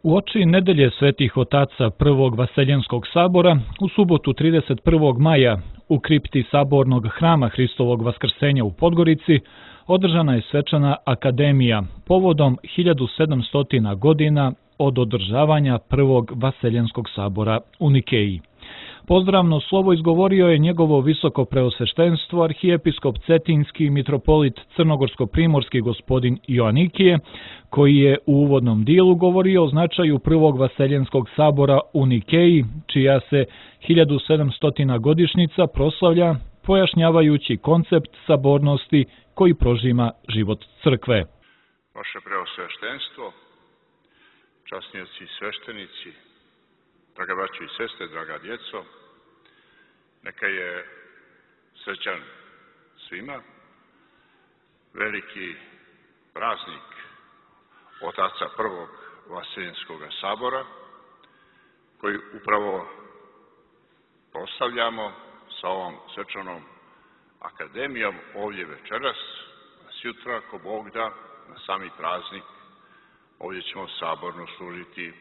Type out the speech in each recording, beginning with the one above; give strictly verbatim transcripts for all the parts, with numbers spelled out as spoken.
Uoči nedelje Svetih otaca Prvog Vaseljenskog sabora, u subotu trideset prvog maja u kripti Sabornog hrama Hristovog Vaskrsenja u Podgorici održana je svečana akademija povodom hiljadu sedamsto godina od održavanja Prvog Vaseljenskog sabora u Nikeji. Pozdravno slovo izgovorio je njegovo visoko preosveštenstvo arhijepiskop Cetinski mitropolit crnogorsko-primorski gospodin Joanikije, koji je u uvodnom dijelu govorio o značaju Prvog Vaseljenskog sabora u Nikeji, čija se hiljadu sedamsto godišnjica proslavlja, pojašnjavajući koncept sabornosti koji prožima život crkve. Vaše preosveštenstvo, časnici i sveštenici, draga braćo i sestre, draga djeco, neka je srećan svima veliki praznik otaca Prvog Vaseljenskog sabora, koji upravo proslavljamo sa ovom svečanom akademijom ovdje večeras, sutra, ako Bog da, na sami praznik, ovdje ćemo saborno služiti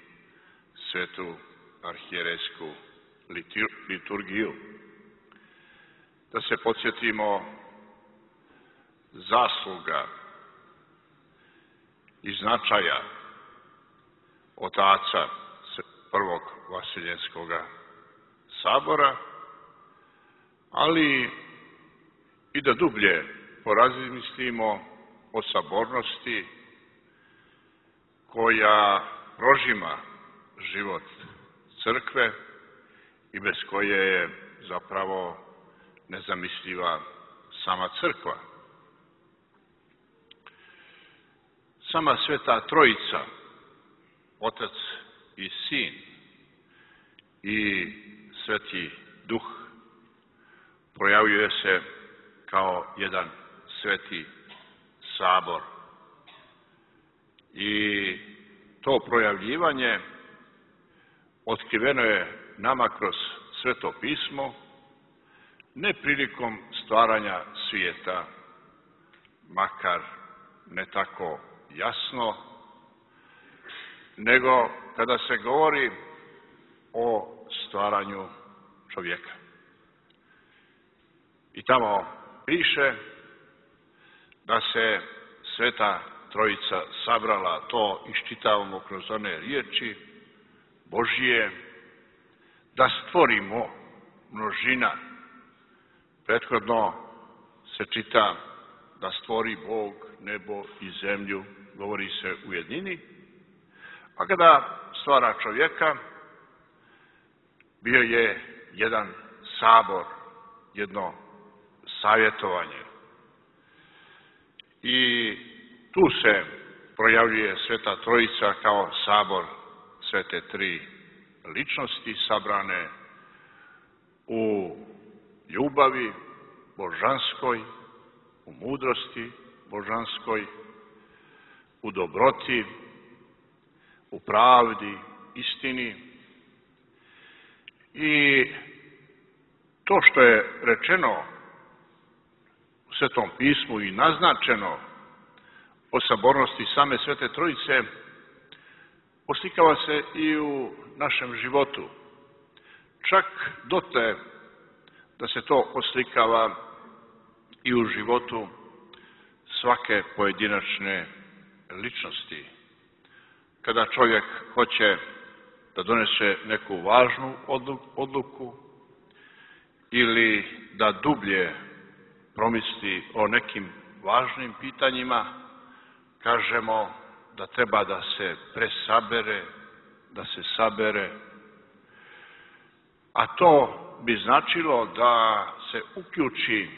svetu arhijerejsku liturgiju. Da se podsjetimo zasluga i značaja otaca Prvog Vaseljenskog sabora, ali i da dublje porazmislimo o sabornosti koja prožima život crkve i bez koje je zapravo nezamisliva sama crkva. Sama Sveta Trojica, Otac i Sin i Sveti Duh, projavljuje se kao jedan sveti sabor. I to projavljivanje otkriveno je nama kroz Sveto pismo, ne prilikom stvaranja svijeta, makar ne tako jasno, nego kada se govori o stvaranju čovjeka. I tamo piše da se Sveta Trojica sabrala, to iščitavamo kroz one riječi Božije, da stvorimo množina. Prethodno se čita da stvori Bog nebo i zemlju, govori se u jednini, a kada stvara čovjeka, bio je jedan sabor, jedno savjetovanje. I tu se projavljuje Sveta Trojica kao sabor Svete Tri ličnosti sabrane u ljubavi božanskoj, u mudrosti božanskoj, u dobroti, u pravdi, istini. I to što je rečeno u Svetom pismu i naznačeno o sabornosti same Svete Trojice oslikava se i u našem životu. Čak dotle da se to oslikava i u životu svake pojedinačne ličnosti. Kada čovjek hoće da donese neku važnu odluku ili da dublje promisli o nekim važnim pitanjima, kažemo da treba da se presabere, da se sabere, a to bi značilo da se uključi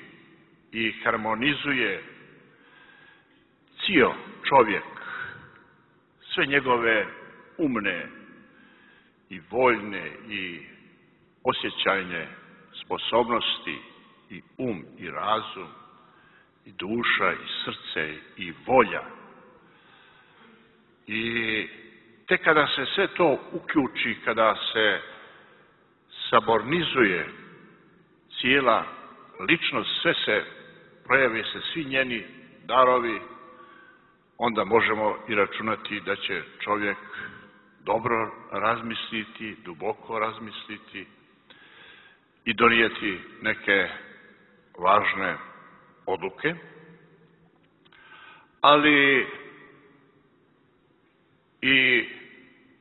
i harmonizuje cijel čovjek, sve njegove umne i voljne i osjećajne sposobnosti i um i razum i duša i srce i volja. I tek kada se sve to uključi, kada se sabornizuje cijela ličnost, sve se projave se svi njeni darovi, onda možemo i računati da će čovjek dobro razmisliti, duboko razmisliti i donijeti neke važne odluke, ali i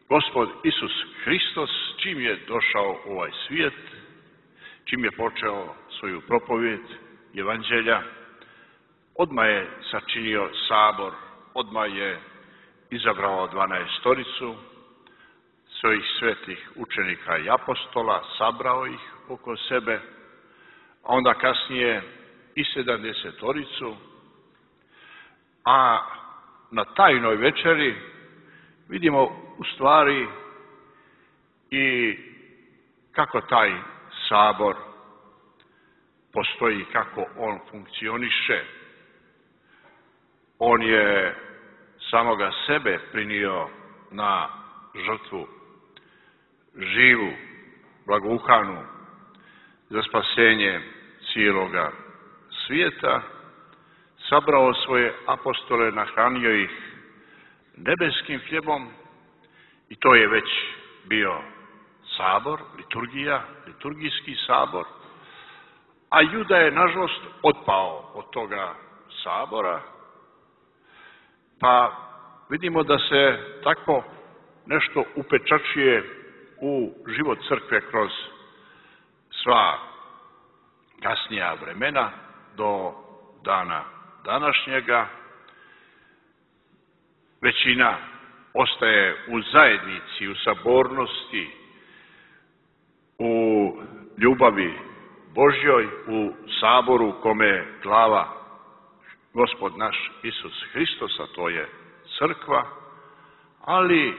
Gospod Isus Hristos, čim je došao u ovaj svijet, čim je počeo svoju propovijed Evanđelja, odmah je sačinio sabor, odmah je izabrao dvanaestoricu svojih svetih učenika i apostola, sabrao ih oko sebe, a onda kasnije i sedamdesetoricu, a na tajnoj večeri vidimo u stvari i kako taj sabor postoji, kako on funkcioniše. On je samoga sebe prinio na žrtvu, živu, blagouhanu, za spasenje cijeloga svijeta, sabrao svoje apostole, nahranio ih nebeskim hljebom i to je već bio sabor, liturgija, liturgijski sabor, a Juda je nažalost otpao od toga sabora, pa vidimo da se tako nešto upečačuje u život crkve kroz sva kasnija vremena do dana današnjega. Većina ostaje u zajednici, u sabornosti, u ljubavi Božjoj, u saboru kome glava Gospod naš Isus Hristos, a to je crkva, ali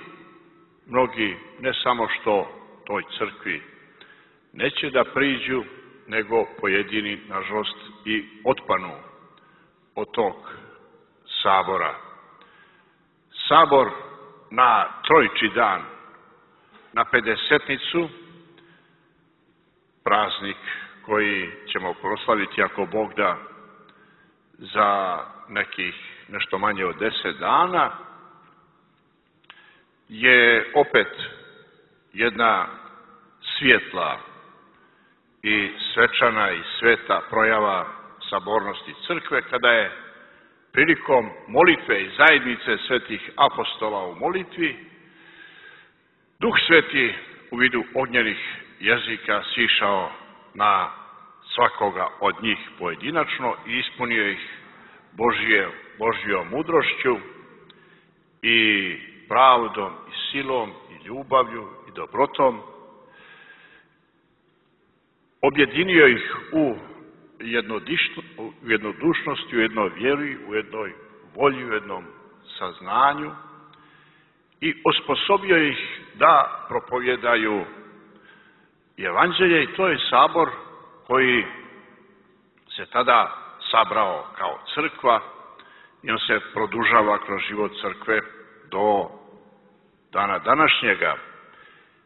mnogi ne samo što toj crkvi neće da priđu, nego pojedini, nažalost, i otpanu od tog sabora. Sabor na Trojiči dan, na Pedesetnicu, praznik koji ćemo proslaviti, ako Bog da, za nekih nešto manje od deset dana, je opet jedna svjetla i svečana i sveta projava sabornosti crkve, kada je prilikom molitve i zajednice svetih apostola u molitvi Duh Sveti u vidu ognjenih jezika sišao na svakoga od njih pojedinačno i ispunio ih Božje, Božjom mudrošću i pravdom i silom i ljubavlju i dobrotom. Objedinio ih u jednodušnosti, u jednoj vjeri, u jednoj volji, u jednom saznanju i osposobio ih da propovjedaju Evanđelje, i to je sabor koji se tada sabrao kao crkva i on se produžava kroz život crkve do dana današnjega.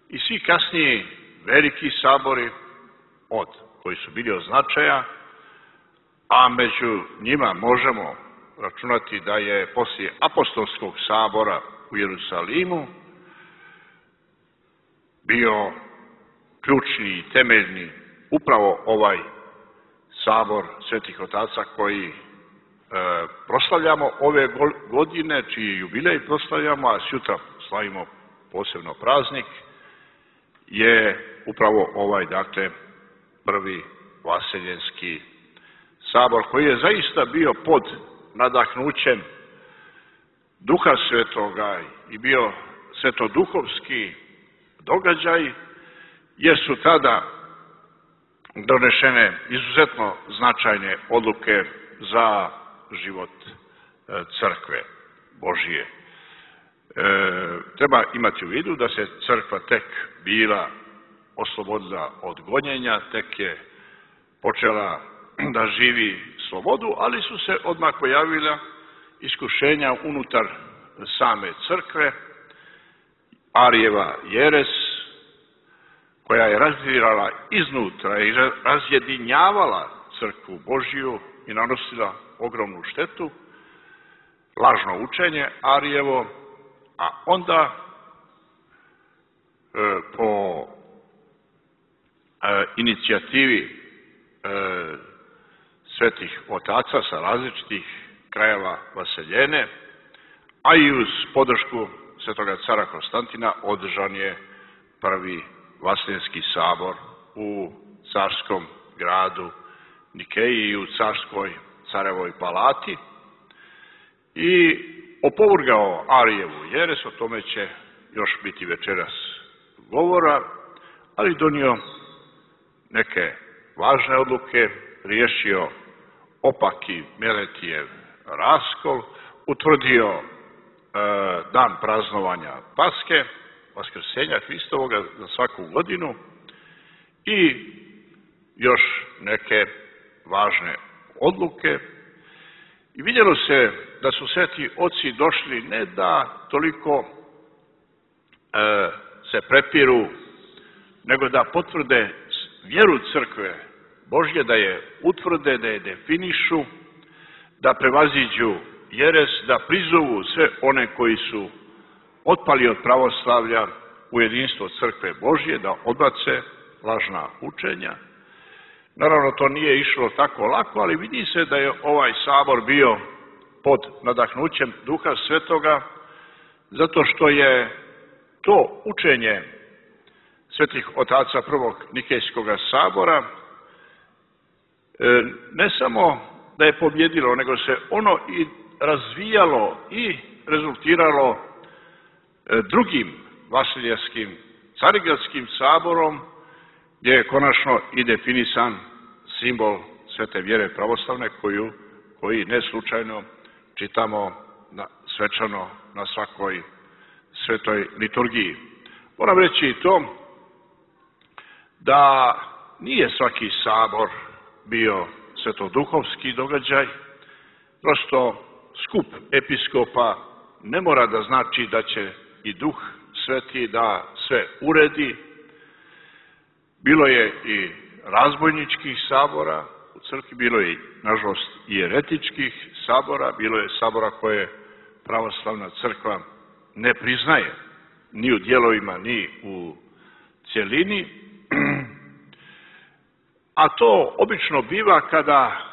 I svi kasniji veliki sabori od koji su bili od značaja, a među njima možemo računati da je poslije apostolskog sabora u Jerusalimu bio ključni i temeljni upravo ovaj sabor svetih otaca koji e, proslavljamo ove godine, čiji jubilej proslavljamo, a sutra slavimo posebno praznik, je upravo ovaj, dakle, prvi vaseljenski sabor, koji je zaista bio pod nadahnućem Duha Svetoga i bio svetoduhovski događaj, jer su tada donešene izuzetno značajne odluke za život crkve Božije. E, treba imati u vidu da se crkva tek bila oslobodila od gonjenja, tek je počela da živi slobodu, ali su se odmah pojavila iskušenja unutar same crkve, Arijeva jeres, koja je razdirala iznutra i razjedinjavala crkvu Božiju i nanosila ogromnu štetu, lažno učenje Arijevo, a onda po inicijativi svetih otaca sa različitih krajeva Vaseljene, a i uz podršku svetoga cara Konstantina održan je prvi Vaseljenski sabor u carskom gradu Nikeji i u carskoj carevoj palati i opovrgao Arijevu jeres, o tome će još biti večeras govora, ali donio neke važne odluke, riješio opaki Meletijev raskol, utvrdio e, dan praznovanja Paske, Vaskrsenja Hristovoga za svaku godinu i još neke važne odluke. I vidjelo se da su sveti oci došli ne da toliko e, se prepiru, nego da potvrde vjeru crkve Božje, da je utvrde, da je definišu, da prevaziđu jeres, da prizovu sve one koji su otpali od pravoslavlja u jedinstvo crkve Božje, da odbace lažna učenja. Naravno, to nije išlo tako lako, ali vidi se da je ovaj sabor bio pod nadahnućem Duha Svetoga, zato što je to učenje svetih otaca prvog Nikejskog sabora ne samo da je pobjedilo, nego se ono i razvijalo i rezultiralo drugim Vasiljevskim carigradskim saborom, gdje je konačno i definisan simbol svete vjere pravoslavne, koju, koji ne slučajno čitamo na, svečano na svakoj svetoj liturgiji. Moram reći i to da nije svaki sabor bio svetoduhovski događaj, prosto skup episkopa ne mora da znači da će i Duh Sveti da sve uredi. Bilo je i razbojničkih sabora u crkvi, bilo je, nažalost, i eretičkih sabora, bilo je sabora koje pravoslavna crkva ne priznaje, ni u dijelovima, ni u cjelini. A to obično biva kada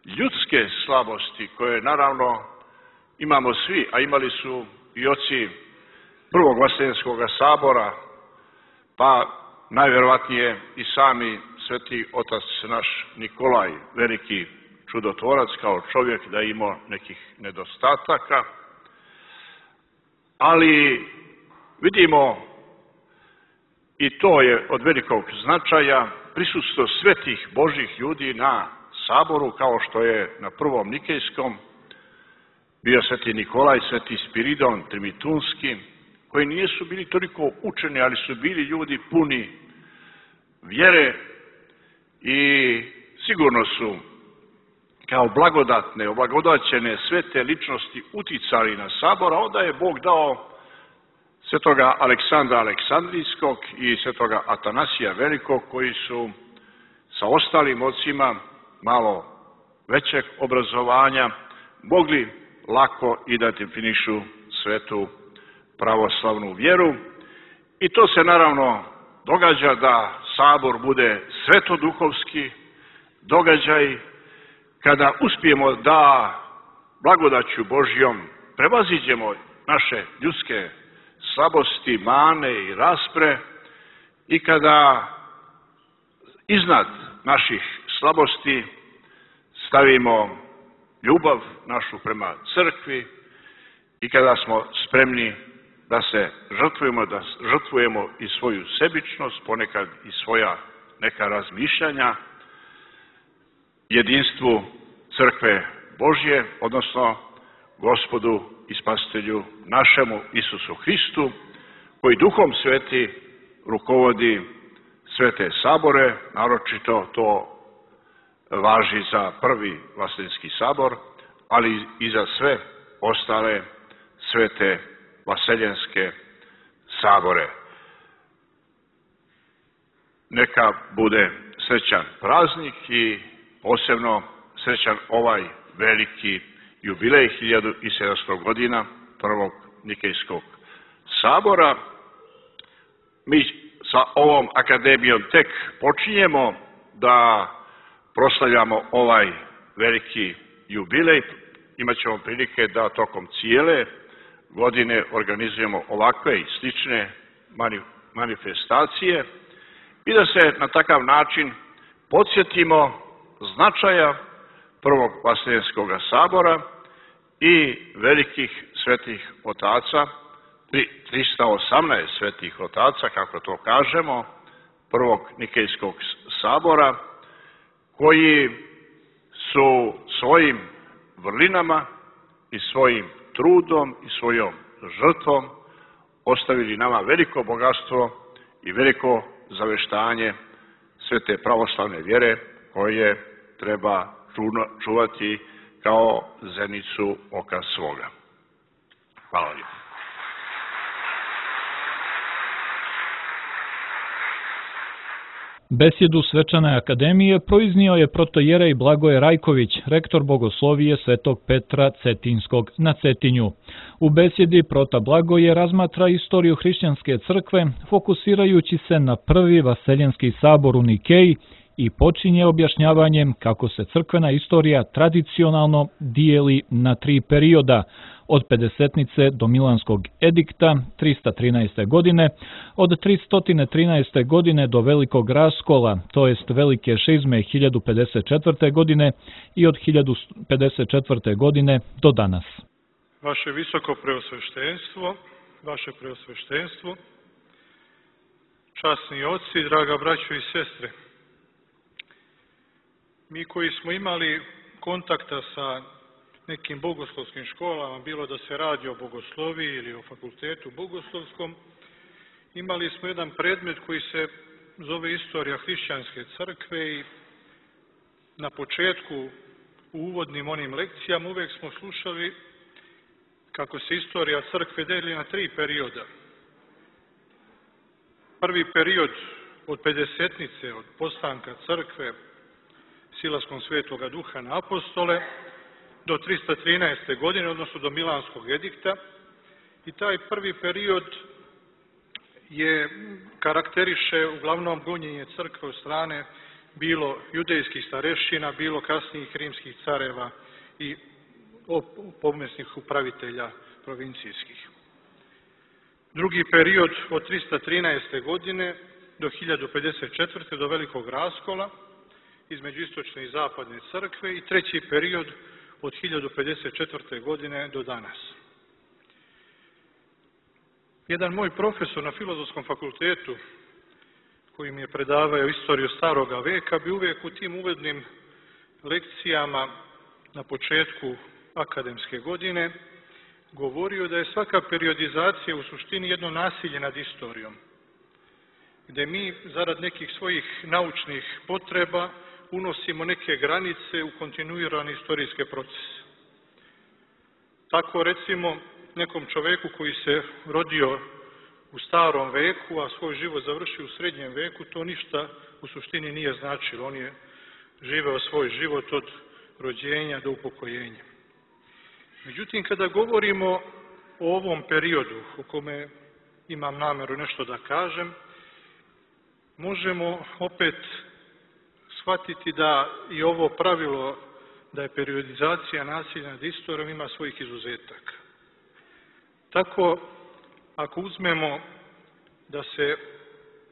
ljudske slabosti, koje naravno imamo svi, a imali su i oci prvog Vaseljenskog sabora, pa najvjerovatnije i sami sveti otac naš Nikolaj, veliki čudotvorac, kao čovjek da je imao nekih nedostataka, ali vidimo, i to je od velikog značaja, prisustvo svetih Božjih ljudi na saboru, kao što je na prvom Nikejskom bio sveti Nikolaj, sveti Spiridon Trimitunski, koji nisu bili toliko učeni, ali su bili ljudi puni vjere i sigurno su kao blagodatne, oblagodaćene svete ličnosti uticali na sabor, a onda je Bog dao svetoga Aleksandra Aleksandrijskog i svetoga Atanasija Velikog, koji su sa ostalim ocima malo većeg obrazovanja mogli lako i da definišu svetu pravoslavnu vjeru. I to se naravno događa da sabor bude svetoduhovski događaj, kada uspijemo da blagodaću Božjom prevaziđemo naše ljudske slabosti, mane i raspre i kada iznad naših slabosti stavimo ljubav našu prema crkvi i kada smo spremni da se žrtvujemo, da žrtvujemo i svoju sebičnost, ponekad i svoja neka razmišljanja, jedinstvu crkve Božje, odnosno Gospodu i Spasitelju našemu Isusu Hristu, koji Duhom Sveti rukovodi svete sabore, naročito to važi za prvi Vaseljenski sabor, ali i za sve ostale svete Vaseljenske sabore. Neka bude srećan praznik i posebno srećan ovaj veliki jubilej hiljadu sedamsto godina prvog Nikejskog sabora. mi sa ovom akademijom tek počinjemo da proslavljamo ovaj veliki jubilej. Imaćemo prilike da tokom cijele godine organizujemo ovakve i slične manifestacije i da se na takav način podsjetimo značaja Prvog Vaseljenskog sabora i velikih svetih otaca, trista osamnaest svetih otaca, kako to kažemo, Prvog Nikejskog sabora, koji su svojim vrlinama i svojim trudom i svojom žrtvom ostavili nama veliko bogatstvo i veliko zaveštanje svete pravoslavne vjere koje treba čuvati kao zenicu oka svoga. Hvala lijepo. Besjedu Svečane akademije proiznio je protojerej Blagoje Rajković, rektor Bogoslovije Svetog Petra Cetinskog na Cetinju. U besjedi prota Blagoje razmatra istoriju hrišćanske crkve, fokusirajući se na prvi Vaseljenski sabor u Nikeji i počinje objašnjavanjem kako se crkvena istorija tradicionalno dijeli na tri perioda, od pedesetnice do Milanskog edikta trista trinaeste. godine, od tristo trinaeste. godine do Velikog raskola, to jest Velike šizme hiljadu pedeset četvrte. godine i od hiljadu pedeset četvrte. godine do danas. Vaše visoko preosveštenstvo, vaše preosveštenstvo, časni oci, draga braćo i sestre, mi koji smo imali kontakta sa nekim bogoslovskim školama, bilo da se radi o bogosloviji ili o fakultetu bogoslovskom, imali smo jedan predmet koji se zove Istorija hrišćanske crkve i na početku u uvodnim onim lekcijama uvek smo slušali kako se istorija crkve deli na tri perioda. Prvi period od pedesetnice, od postanka crkve, silaskom Svetoga Duha na apostole, do trista trinaeste. godine, odnosno do Milanskog edikta. I taj prvi period je karakteriše uglavnom gonjenje crkve od strane bilo judejskih starešina, bilo kasnijih rimskih careva i pomesnih upravitelja provincijskih. Drugi period od trista trinaeste. godine do hiljadu pedeset četvrte. do Velikog raskola između istočne i zapadne crkve i treći period od hiljadu pedeset četvrte. godine do danas. Jedan moj profesor na Filozofskom fakultetu, koji mi je predavao istoriju staroga veka, bi uvijek u tim uvodnim lekcijama na početku akademske godine govorio da je svaka periodizacija u suštini jedno nasilje nad istorijom, gdje mi zarad nekih svojih naučnih potreba unosimo neke granice u kontinuirane istorijske procese. Tako recimo nekom čoveku koji se rodio u starom veku, a svoj život završio u srednjem veku, to ništa u suštini nije značilo. On je živeo svoj život od rođenja do upokojenja. Međutim, kada govorimo o ovom periodu u kome imam nameru nešto da kažem, možemo opet shvatiti da i ovo pravilo da je periodizacija nasilja nad istorijom ima svojih izuzetaka. Tako, ako uzmemo da se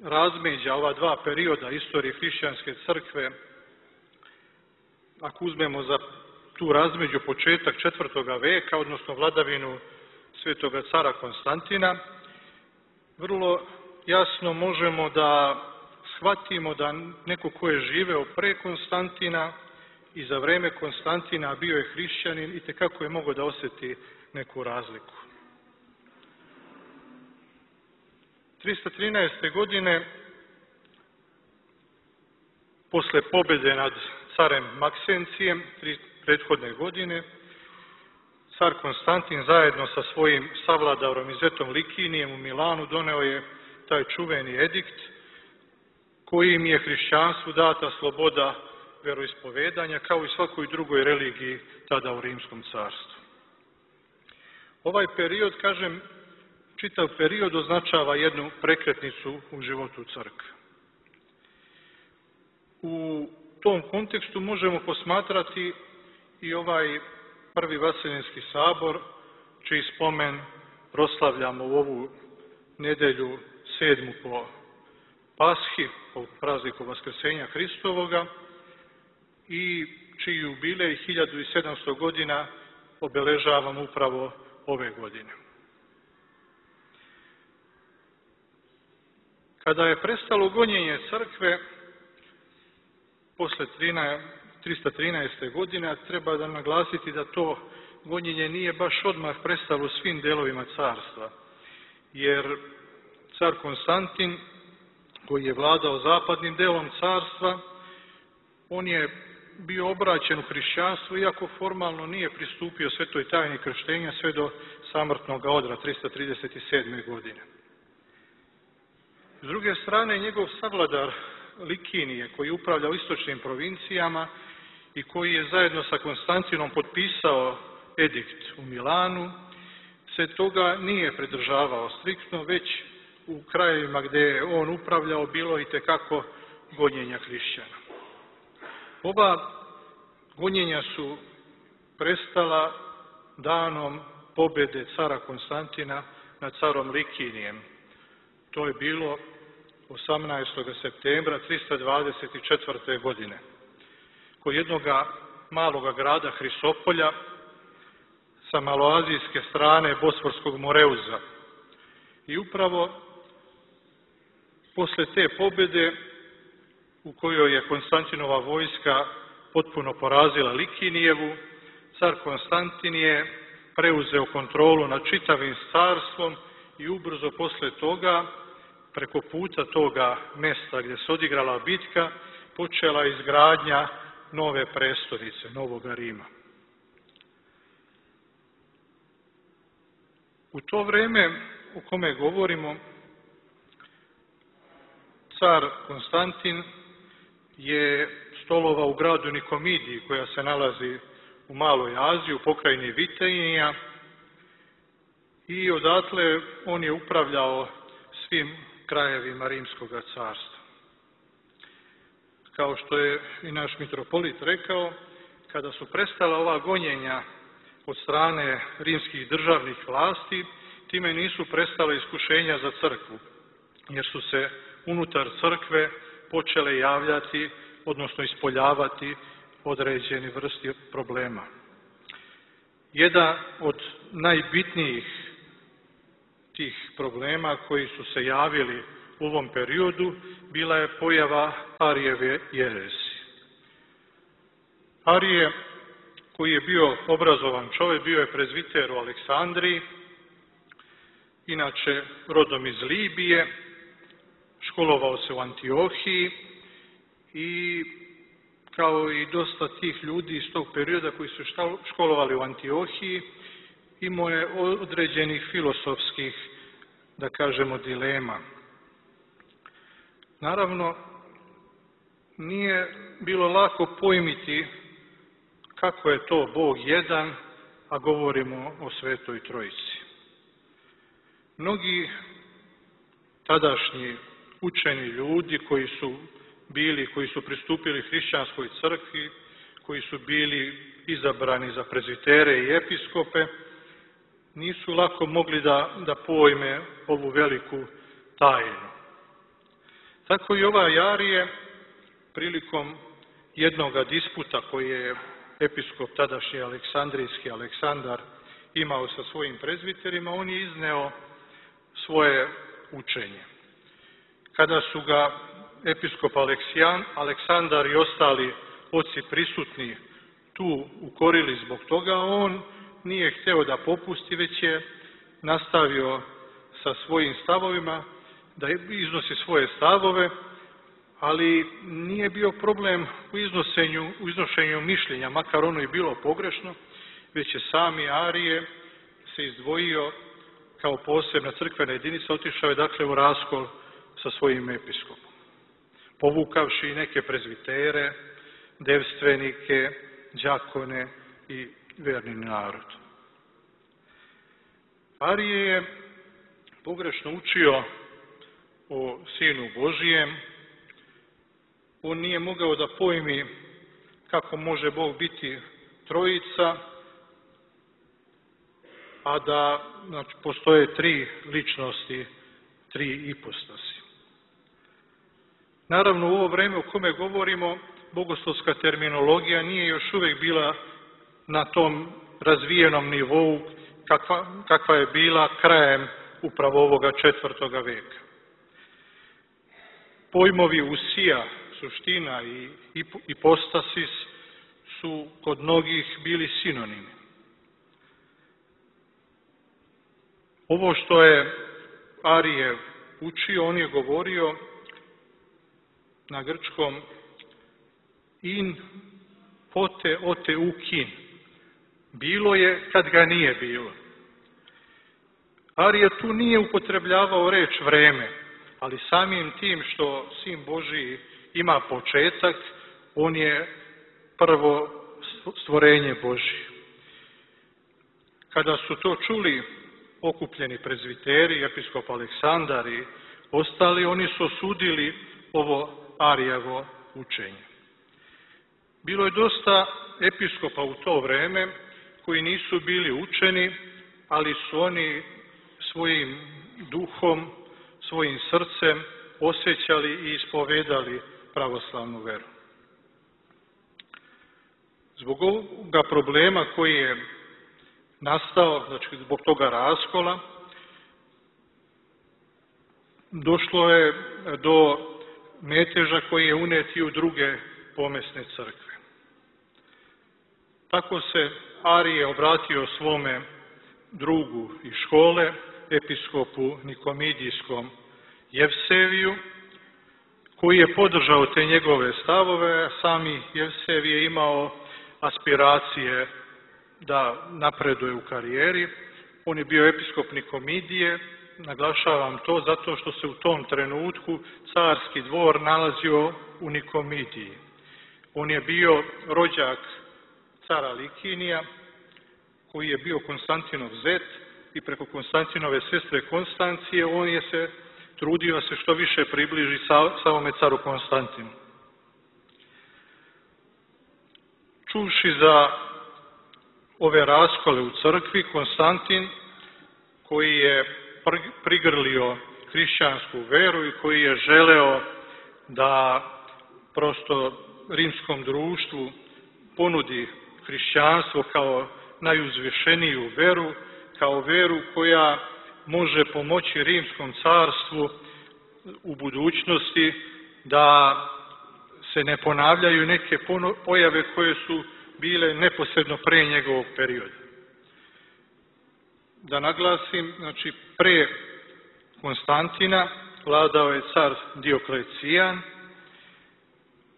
razmeđa ova dva perioda istorije hrišćanske crkve, ako uzmemo za tu razmeđu početak četvrtoga veka, odnosno vladavinu svetoga cara Konstantina, vrlo jasno možemo da shvatimo da neko ko je živeo pre Konstantina i za vreme Konstantina bio je hrišćanin i tekako je mogao da osjeti neku razliku. trista trinaeste. godine, posle pobjede nad carem Maksencijem, tri prethodne godine, car Konstantin zajedno sa svojim savladarom i zetom Likinijem u Milanu doneo je taj čuveni edikt kojim je hrišćanstvu data sloboda veroispovedanja kao i svakoj drugoj religiji tada u Rimskom carstvu. Ovaj period, kažem, čitav period označava jednu prekretnicu u životu crkve. U tom kontekstu možemo posmatrati i ovaj prvi Vaseljenski sabor, čiji spomen proslavljamo u ovu nedelju sedmu po Pashi, po prazniku Vaskrsenja Hristovoga, i čiji jubilej hiljadu sedamsto godina obeležavamo upravo ove godine. Kada je prestalo gonjenje crkve posle trista trinaeste. godine, treba da naglasiti da to gonjenje nije baš odmah prestalo u svim delovima carstva, jer car Konstantin, koji je vladao zapadnim delom carstva, on je bio obraćen u hrišćanstvo, iako formalno nije pristupio svetoj tajni krštenja sve do samrtnog odra trista trideset sedme. godine. S druge strane, njegov savladar Likinije, koji je upravljao istočnim provincijama i koji je zajedno sa Konstantinom potpisao edikt u Milanu, se toga nije pridržavao striktno, već u krajevima gdje je on upravljao bilo i tekako gonjenja hrišćana. Ova gonjenja su prestala danom pobjede cara Konstantina nad carom Likinijem. To je bilo osamnaestog septembra trista dvadeset četvrte. godine. Kod jednog maloga grada Hrisopolja sa maloazijske strane Bosforskog Moreuza. I upravo posle te pobjede, u kojoj je Konstantinova vojska potpuno porazila Likinijevu, car Konstantin je preuzeo kontrolu nad čitavim carstvom i ubrzo posle toga, preko puta toga mesta gdje se odigrala bitka, počela izgradnja nove prestonice, Novoga Rima. U to vreme o kome govorimo, car Konstantin je stolovao u gradu Nikomidiji, koja se nalazi u Maloj Aziji, u pokrajini Vitejnija, i odatle on je upravljao svim krajevima Rimskog carstva. Kao što je i naš mitropolit rekao, kada su prestala ova gonjenja od strane rimskih državnih vlasti, time nisu prestala iskušenja za crkvu, jer su se unutar crkve počele javljati, odnosno ispoljavati određeni vrsti problema. Jedan od najbitnijih tih problema koji su se javili u ovom periodu bila je pojava Arijeve jeresi. Arije, koji je bio obrazovan čovjek, bio je prezviter u Aleksandriji, inače rodom iz Libije, školovao se u Antiohiji i kao i dosta tih ljudi iz tog perioda koji su školovali u Antiohiji, imao je određenih filosofskih, da kažemo, dilema. Naravno, nije bilo lako pojmiti kako je to Bog jedan, a govorimo o Svetoj Trojici. Mnogi tadašnji učeni ljudi koji su bili, koji su pristupili hrišćanskoj crkvi, koji su bili izabrani za prezvitere i episkope, nisu lako mogli da, da pojme ovu veliku tajnu. Tako i ova Arije, prilikom jednoga disputa koji je episkop tadašnji aleksandrijski Aleksandar imao sa svojim prezviterima, on je izneo svoje učenje. Kada su ga episkop Aleksijan, Aleksandar i ostali oci prisutni tu ukorili zbog toga, on nije hteo da popusti, već je nastavio sa svojim stavovima, da iznosi svoje stavove, ali nije bio problem u, iznosenju, u iznošenju mišljenja, makar ono i bilo pogrešno, već je sami Arije se izdvojio kao posebna crkvena jedinica, otišao je dakle u raskol sa svojim episkopom, povukavši neke prezvitere, devstvenike, đakone i verni narod. Arije je pogrešno učio o Sinu Božijem. On nije mogao da pojmi kako može Bog biti trojica, a da znači, postoje tri ličnosti, tri ipostasi. Naravno, u ovo vreme o kome govorimo, bogoslovska terminologija nije još uvijek bila na tom razvijenom nivou kakva, kakva je bila krajem upravo ovoga četvrtoga veka. Pojmovi usija, suština i ipostasis su kod mnogih bili sinonimi. Ovo što je Arije učio, on je govorio na grčkom in pote ote ukin. Bilo je kad ga nije bilo. Arije tu nije upotrebljavao reč vreme, ali samim tim što Sin Božiji ima početak, on je prvo stvorenje Božije. Kada su to čuli okupljeni prezviteri, episkop Aleksandar i ostali, oni su osudili ovo Arijevo učenje. Bilo je dosta episkopa u to vreme koji nisu bili učeni, ali su oni svojim duhom, svojim srcem osjećali i ispovedali pravoslavnu veru. Zbog ovoga problema koji je nastao, znači zbog toga raskola, došlo je do meteža koji je unet i u druge pomesne crkve. Tako se Arije obratio svome drugu iz škole, episkopu Nikomidijskom Jevseviju, koji je podržao te njegove stavove, a sami Jevsev je imao aspiracije da napreduje u karijeri. On je bio episkop Nikomidije, naglašavam to zato što se u tom trenutku carski dvor nalazio u Nikomidiji. On je bio rođak cara Likinija, koji je bio Konstantinov zet i preko Konstantinove sestre Konstancije on je se trudio da se što više približi samome caru Konstantinu. Čuvši za ove raskole u crkvi, Konstantin, koji je prigrlio hrišćansku veru i koji je želeo da prosto rimskom društvu ponudi hrišćanstvo kao najuzvišeniju veru, kao veru koja može pomoći rimskom carstvu u budućnosti da se ne ponavljaju neke pojave koje su bile neposredno pre njegovog perioda. Da naglasim, znači pre Konstantina vladao je car Dioklecijan.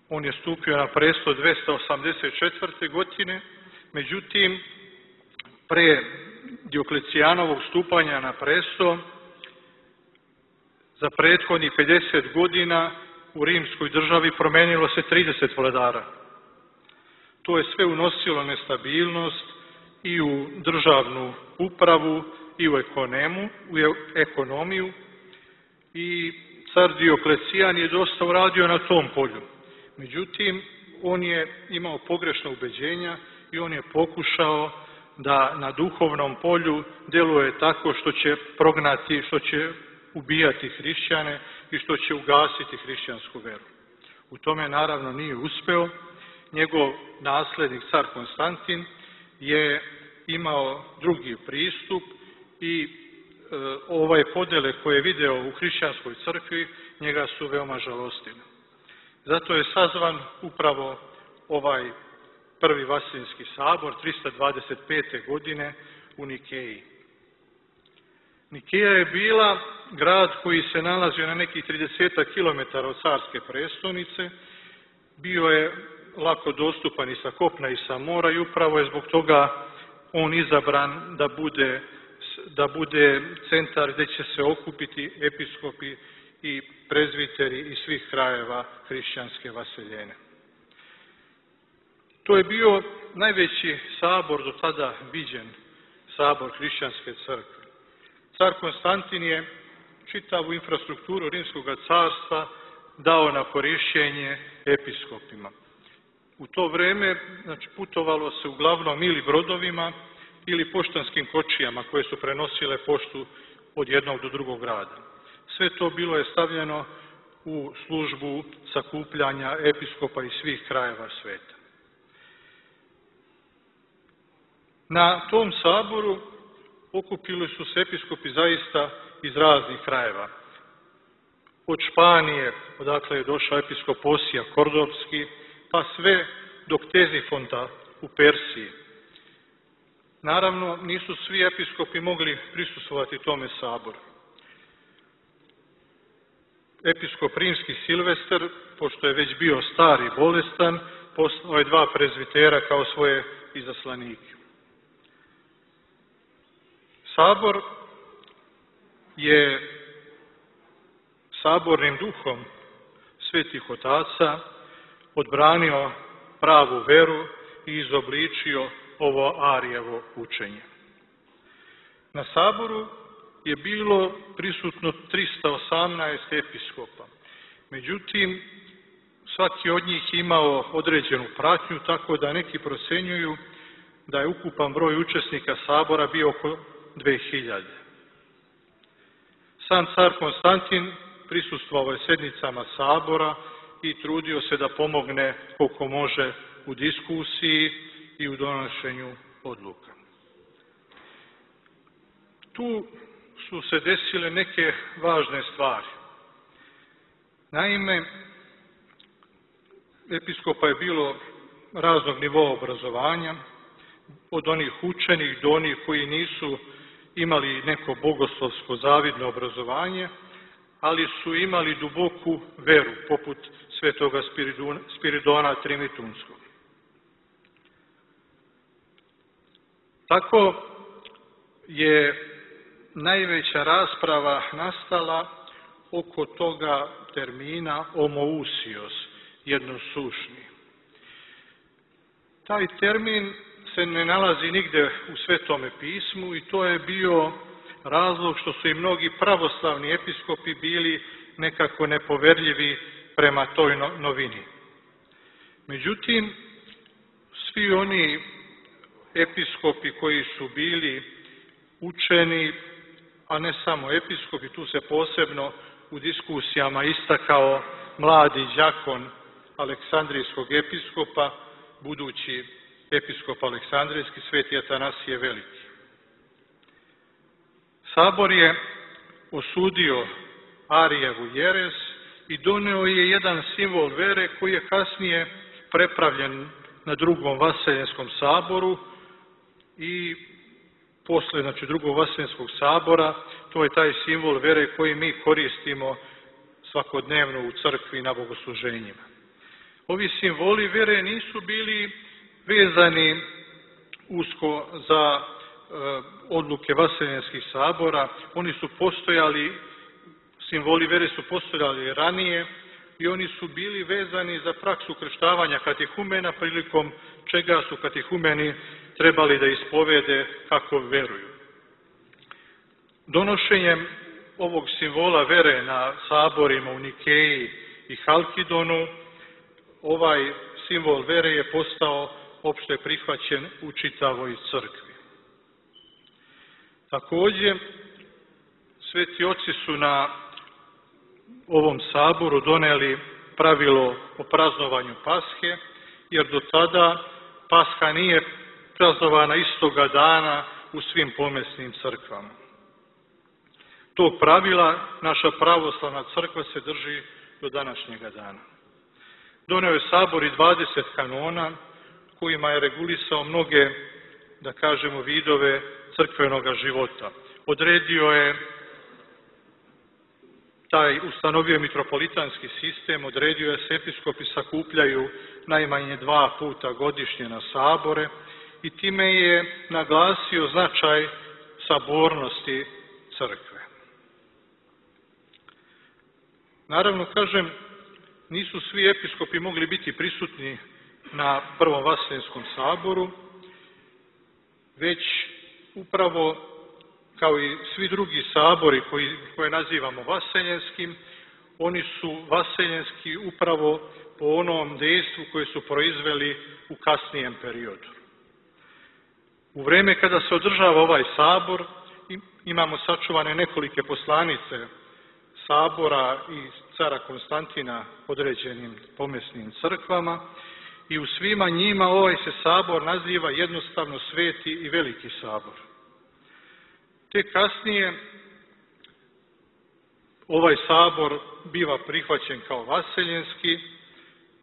On je stupio na presto dvesta osamdeset četvrte. godine, međutim, pre Dioklecijanovog stupanja na presto, za prethodnih pedeset godina u rimskoj državi promenilo se trideset vladara. To je sve unosilo nestabilnost i u državnu upravu i u ekonomiju, u ekonomiju i car Dioklecijan je dosta uradio na tom polju. Međutim, on je imao pogrešna ubeđenja i on je pokušao da na duhovnom polju djeluje tako što će prognati, što će ubijati hrišćane i što će ugasiti hrišćansku veru. U tome naravno nije uspeo. Njegov naslednik, car Konstantin, je imao drugi pristup i e, ovaj podele koje je video u hrišćanskoj crkvi njega su veoma žalostile. Zato je sazvan upravo ovaj prvi Vaseljenski sabor trista dvadeset pete. godine u Nikeji. Nikeja je bila grad koji se nalazio na nekih trideset kilometara od carske prestonice, bio je lako dostupan i sa kopna i sa mora i upravo je zbog toga on izabran da bude, da bude centar gdje će se okupiti episkopi i prezviteri iz svih krajeva hrišćanske vaseljene. To je bio najveći sabor do tada viđen, sabor hrišćanske crkve. car Konstantin je čitavu infrastrukturu Rimskog carstva dao na korišćenje episkopima. U to vrijeme znači, putovalo se uglavnom ili brodovima ili poštanskim kočijama koje su prenosile poštu od jednog do drugog grada. Sve to bilo je stavljeno u službu sakupljanja episkopa iz svih krajeva sveta. Na tom saboru okupili su se episkopi zaista iz raznih krajeva. Od Španije, odakle je došao episkop Osija Kordovski, pa sve do Ktezifonta u Persiji. Naravno, nisu svi episkopi mogli prisustvovati tome saboru. Episkop rimski Silvester, pošto je već bio star i bolestan, poslao je dva prezvitera kao svoje izaslanike. Sabor je sabornim duhom svetih otaca odbranio pravu veru i izobličio ovo Arijevo učenje. Na saboru je bilo prisutno trista osamnaest episkopa. Međutim, svaki od njih imao određenu pratnju, tako da neki procenjuju da je ukupan broj učesnika sabora bio oko dve hiljade. Sam car Konstantin prisustvovao je sednicama sabora i trudio se da pomogne koliko može u diskusiji i u donošenju odluka. Tu su se desile neke važne stvari. Naime, episkopa je bilo raznog nivoa obrazovanja, od onih učenih do onih koji nisu imali neko bogoslovsko zavidno obrazovanje, ali su imali duboku veru, poput svetoga Spiridona Trimitunskog. Tako je najveća rasprava nastala oko toga termina homoousios, jednosušni. Taj termin se ne nalazi nigde u Svetome pismu i to je bio razlog što su i mnogi pravoslavni episkopi bili nekako nepoverljivi prema toj novini. Međutim, svi oni episkopi koji su bili učeni, a ne samo episkopi, tu se posebno u diskusijama istakao mladi đakon Aleksandrijskog episkopa, budući episkop Aleksandrijski, sveti Atanasije Veliki. Sabor je osudio Arijevu jerez i doneo je jedan simbol vere koji je kasnije prepravljen na drugom Vaseljenskom saboru i posle, znači, drugog Vaseljenskog sabora, to je taj simbol vere koji mi koristimo svakodnevno u crkvi na bogosluženjima. Ovi simboli vere nisu bili vezani usko za e, odluke Vaseljenskih sabora, oni su postojali, simboli vere su postojali ranije i oni su bili vezani za praksu krštavanja katehumena, prilikom čega su katehumeni trebali da ispovede kako veruju. Donošenjem ovog simbola vere na saborima u Nikeji i Halkidonu, ovaj simbol vere je postao opšte prihvaćen u čitavoj crkvi. Također, sveti oci su na ovom saboru doneli pravilo o praznovanju Pashe, jer do tada Pasha nije praznovana istoga dana u svim pomesnim crkvama. Tog pravila naša pravoslavna crkva se drži do današnjega dana. Doneo je sabor i dvadeset kanona kojima je regulisao mnoge, da kažemo, vidove crkvenoga života. Odredio je taj, ustanovio mitropolitanski sistem, odredio je se episkopi sakupljaju najmanje dva puta godišnje na sabore i time je naglasio značaj sabornosti crkve. Naravno, kažem, nisu svi episkopi mogli biti prisutni na prvom Vaseljenskom saboru, već upravo kao i svi drugi sabori koji, koje nazivamo vaseljenskim, oni su vaseljenski upravo po onom dejstvu koje su proizveli u kasnijem periodu. U vreme kada se održava ovaj sabor, imamo sačuvane nekolike poslanice sabora i cara Konstantina određenim pomesnim crkvama i u svima njima ovaj se sabor naziva jednostavno Sveti i Veliki sabor. Te kasnije ovaj sabor biva prihvaćen kao vaseljenski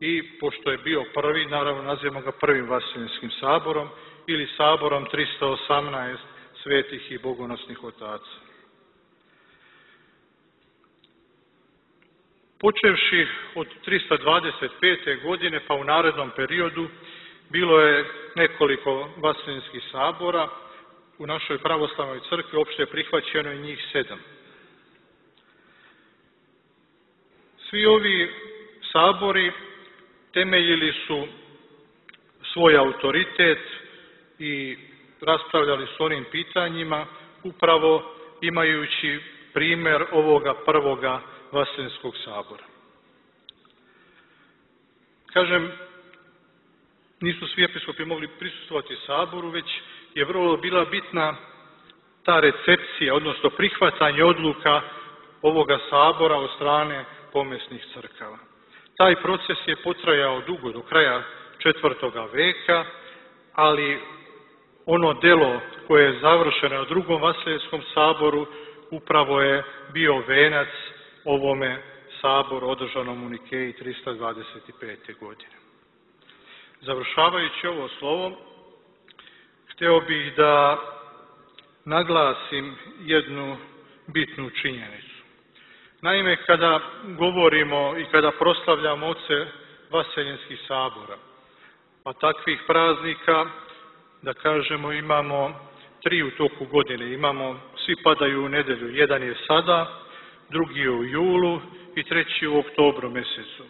i pošto je bio prvi, naravno nazivamo ga prvim vaseljenskim saborom ili saborom tristo osamnaest svetih i bogonosnih otaca. Počevši od tristo dvadeset pete. godine pa u narednom periodu bilo je nekoliko vaseljenskih sabora. U našoj pravoslavnoj crkvi opšte je prihvaćeno i njih sedam. Svi ovi sabori temeljili su svoj autoritet i raspravljali s onim pitanjima, upravo imajući primjer ovoga prvoga vaseljenskog sabora. Kažem, nisu svi episkopi mogli prisustvovati saboru, već je vrlo bila bitna ta recepcija, odnosno prihvatanje odluka ovoga sabora od strane pomesnih crkava. Taj proces je potrajao dugo, do kraja četvrtoga veka, ali ono delo koje je završeno u drugom vaseljenskom saboru upravo je bio venac ovome saboru održanom u Nikeji tristo dvadeset pete. godine. Završavajući ovo slovo, hteo bih da naglasim jednu bitnu činjenicu. Naime, kada govorimo i kada proslavljamo oce vaseljenskih sabora, a takvih praznika, da kažemo, imamo tri u toku godine. Imamo, svi padaju u nedelju. Jedan je sada, drugi je u julu i treći u oktobru mesecu.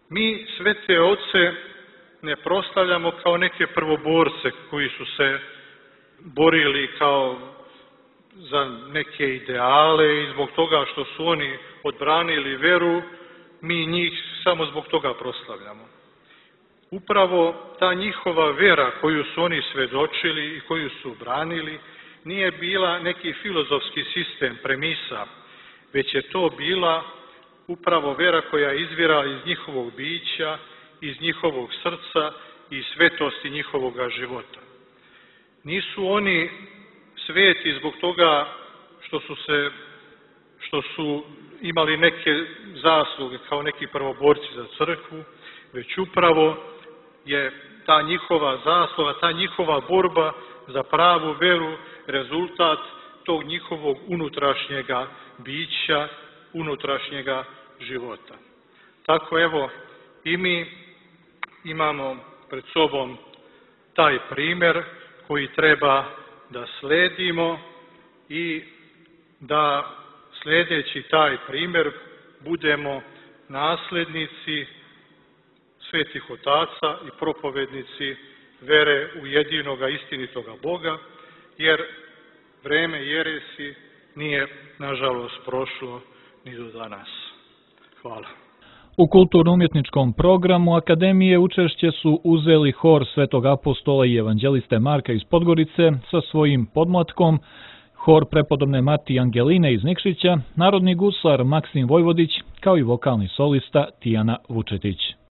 Mi svete oce ne proslavljamo kao neke prvoborce koji su se borili kao za neke ideale i zbog toga što su oni odbranili veru, mi njih samo zbog toga proslavljamo. Upravo ta njihova vera koju su oni svedočili i koju su branili nije bila neki filozofski sistem premisa, već je to bila upravo vera koja je izvira iz njihovog bića, iz njihovog srca i svetosti njihovoga života. Nisu oni sveti zbog toga što su se, što su imali neke zasluge kao neki prvoborci za crkvu, već upravo je ta njihova zasluga, ta njihova borba za pravu veru rezultat tog njihovog unutrašnjega bića, unutrašnjega života. Tako evo i mi imamo pred sobom taj primjer koji treba da sledimo i da sledeći taj primjer budemo naslednici svetih otaca i propovednici vere u jedinoga istinitoga Boga, jer vreme jeresi nije, nažalost, prošlo ni do danas. Hvala. U kulturno-umjetničkom programu Akademije učešće su uzeli hor Svetog apostola i evanđeliste Marka iz Podgorice sa svojim podmlatkom, hor prepodobne Matije Angeline iz Nikšića, narodni guslar Maksim Vojvodić, kao i vokalni solista Tijana Vučetić.